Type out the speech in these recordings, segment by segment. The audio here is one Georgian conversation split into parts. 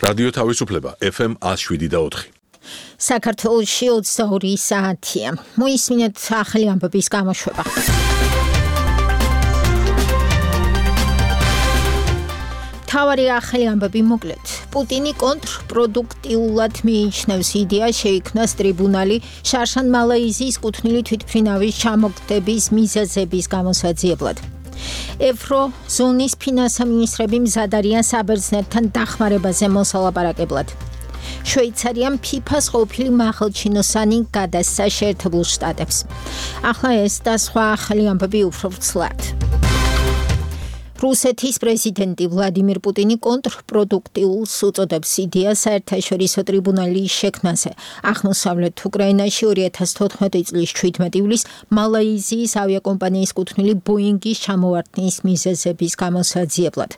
რადიო თავისუფლება FM 107.4. საქართველოში 22 საათია. მოისმინეთ ახალი ამბების გამოშვება. თავარი ახალი ამბები მოკლედ. პუტინი კონტრპროდუქტიულად მიიჩნევს იდეას შეიქმნას ტრიბუნალი შარშან მალაიზიის კუთვნილი თვითმფრინავის ჩამოგდების მიზეზების გამოსაძიებლად. ევროზონის ფინანსამინისტრები მზად არიან საბერძნეთთან დახმარებაზე მოსალაპარაკებლად. შვეიცარიამ ფიფას ყოფილი მაღალჩინოსანი გადასცა შეერთებულ შტატებს. ახლა ეს და სხვა ახალი ამბები უფრო ვრცლად. რუსეთის პრეზიდენტი ვლადიმირ პუტინი კონტრპროდუქტიულს უწოდებს იდეას საერთაშორისო ტრიბუნალის შექმნაზე. აღმოსავლეთ უკრაინაში 2014 წლის 17 ივლისს მალაიზიის ავიაკომპანიის კუთვნილი ბოინგის ჩამოვარდნის მიზეზების გამოსაძიებლად.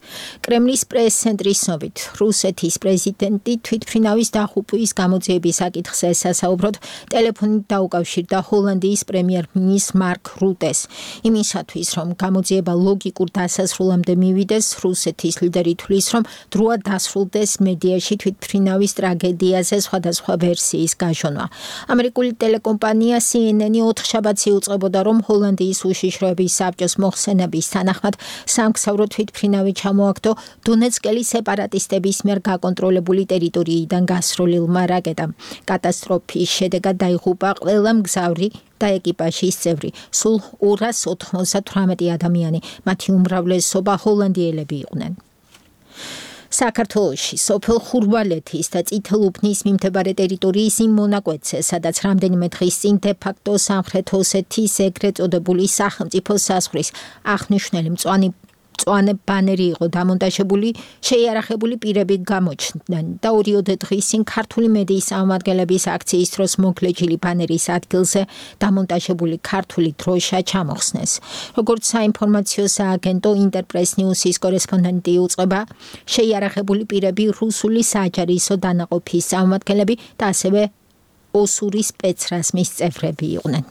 კრემლის პრეს-ცენტრის ცნობით, რუსეთის პრეზიდენტი თვითმფრინავის დახუპვის გამოძიების საკითხზე სასაუბროდ ტელეფონით დაუკავშირდა ჰოლანდიის პრემიერ-მინისტრ მარკ რუტეს. იმისათვის, რომ გამოძიება ლოგიკურ დასასრულს მივიდეს, რუსეთის ლიდერი თვლის, რომ დროა დასრულდეს მედიაში თვითმფრინავის ტრაგედიაზე სხვადასხვა ვერსიის გაჟონვა. ამერიკული ტელეკომპანია CNN 4 შაბათს იუწყებოდა, რომ ჰოლანდიის უშიშროების საბჭოს მოხსენების თანახმად სამგზავრო თვითმფრინავი ჩამოაგდო დონეცკელი სეპარატისტების მიერ გაკონტროლებული ტერიტორიიდან გასროლილმა რაკეტამ. კატასტროფის შედეგად დაიღუპა ყველა მგზავრი და ეკიპაჟის წევრი, სულ 298 ადამიანი, მათი უმრავლესობა ჰოლანდიელები იყვნენ. საქართველოში სოფელ ხურვალეთის და წითელუბნის მიმდებარე ტერიტორიის იმ მონაკვეთზე, სადაც რამდენიმე დღის წინ დე-ფაქტო სამხრეთ ოსეთის ეგრეთ წოდებული სახელმწიფო საზღვრის აღნიშნული მწვანე ბანერი იყო დამონტაჟებული, შეიარაღებული პირები გამოჩნდნენ და 2 დღის წინ ქართული მედიის წარმომადგენლების აქციის დროს მოგლეჯილი ბანერის ადგილზე დამონტაჟებული ქართული დროშა ჩამოხსნეს. როგორც საინფორმაციო სააგენტო ინტერპრეს ნიუსის კორესპონდენტი იუწყება, შეიარაღებული პირები რუსული საჯარისო დანაყოფის წარმომადგენლები და ასევე ოსური სპეცრაზმის წევრები იყვნენ.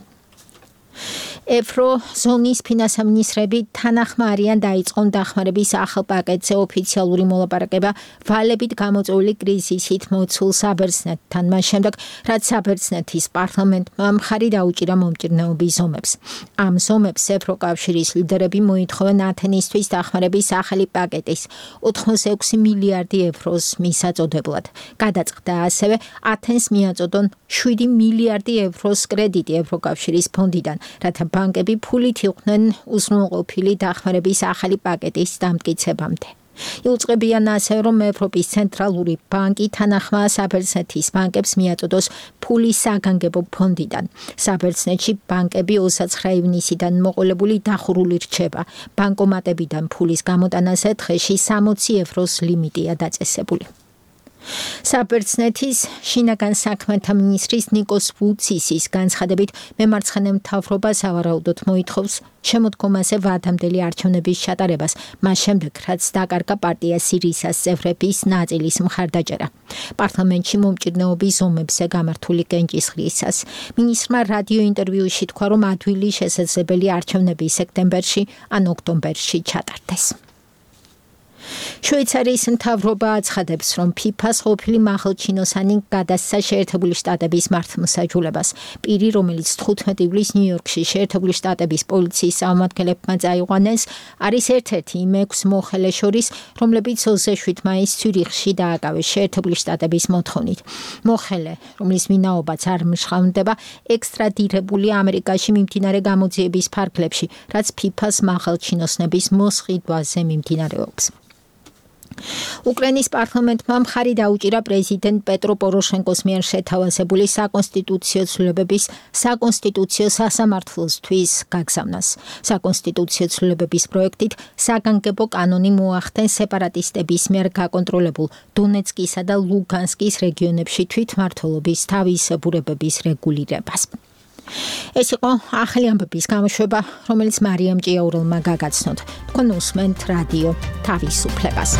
ევროზონის ფინანსამინისტრები თანახმარიან დაიწყონ დახმარების ახალ პაკეტზე ოფიციალური მოლაპარაკება ვალებით გამოწვეული კრიზისით მოცულ საბერძნეთთან, მას შემდეგ, რაც საბერძნეთის პარლამენტმა მხარი დაუჭირა მომჭირნეობის ზომებს. ამ ზომებს ევროკავშირის ლიდერები მოითხოვენ ათენისთვის დახმარების ახალი პაკეტის 86 მილიარდი ევროს მისაწოდებლად. გადაწყდა ასევე ათენს მიაწოდონ 7 მილიარდი ევროს კრედიტი ევროკავშირის ფონდიდან, რათა ბანკები ფულით იყვნენ უზრუნველყოფილი დახმარების ახალი პაკეტის დამტკიცებამდე. იუწყებიან ასევე, რომ ევროპის ცენტრალური ბანკი თანახმაა საბერძნეთის ბანკებს მიაწოდოს ფული საგანგებო ფონდიდან. საბერძნეთში ბანკები 29 ივნისიდან მოყოლებული დახურული რჩება. ბანკომატებიდან ფულის გამოტანაზე დღეში 60 ევროს ლიმიტია დაწესებული. საბერძნეთის შინაგან საქმეთა მინისტრის ნიკოს ვუცისის განცხადებით, მემარცხენე მთავრობა სავარაუდოდ მოითხოვს შემოდგომაზე ვადამდელი არჩევნების ჩატარებას, მას შემდეგ, რაც დაკარგა პარტია სირისას წევრების ნაწილის მხარდაჭერა. პარლამენტში მომჭირნეობის ზომებზე გამართული კენჭისყრისას მინისტრმა რადიო ინტერვიუში თქვა, რომ ადვილი შესაძლებელი არჩევნები სექტემბერში ან ოქტომბერში ჩატარდეს. შვეიცარიის მთავრობა აცხადებს, რომ ფიფას ყოფილი მაღალჩინოსანი გადასცა შეერთებული შტატების მართლმსაჯულებას. პირი, რომელიც 15 ივლისს ნიუ-იორკში შეერთებული შტატების პოლიციის წარმომადგენლებმა წაიყვანეს, არის ერთ-ერთი იმ 6 მოხელეს შორის, რომლებიც 27 მაისს ცյურიხში დააკავეს შეერთებული შტატების მოთხოვნით. მოხელე, რომლის ვინაობაც არ მშრალდება, ექსტრადირებულია ამერიკაში მიმდინარე გამოძიების ფარგლებში, რაც ფიფას მაღალჩინოსნების მოსყიდვაზე მიმდინარეობს. უკრაინის პარლამენტმა მხარი დაუჭირა პრეზიდენტ პეტრო პოროშენკოს მიერ შეთავაზებული საკონსტიტუციო ცვლილებების საკონსტიტუციო სასამართლოსთვის გაგზავნას. საკონსტიტუციო ცვლილებების პროექტით საგანგებო კანონი მოახდენს სეპარატისტების მიერ გაკონტროლებულ დონეცკისა და ლუგანსკის რეგიონებში თვითმმართველობის თავისებურებების რეგულირებას. ეს იყო ახალი ამბების გამოშვება, რომელიც მარიამ ჭიაურელმა გაგაცნოთ. თქვენ უსმენთ რადიო თავისუფლებას.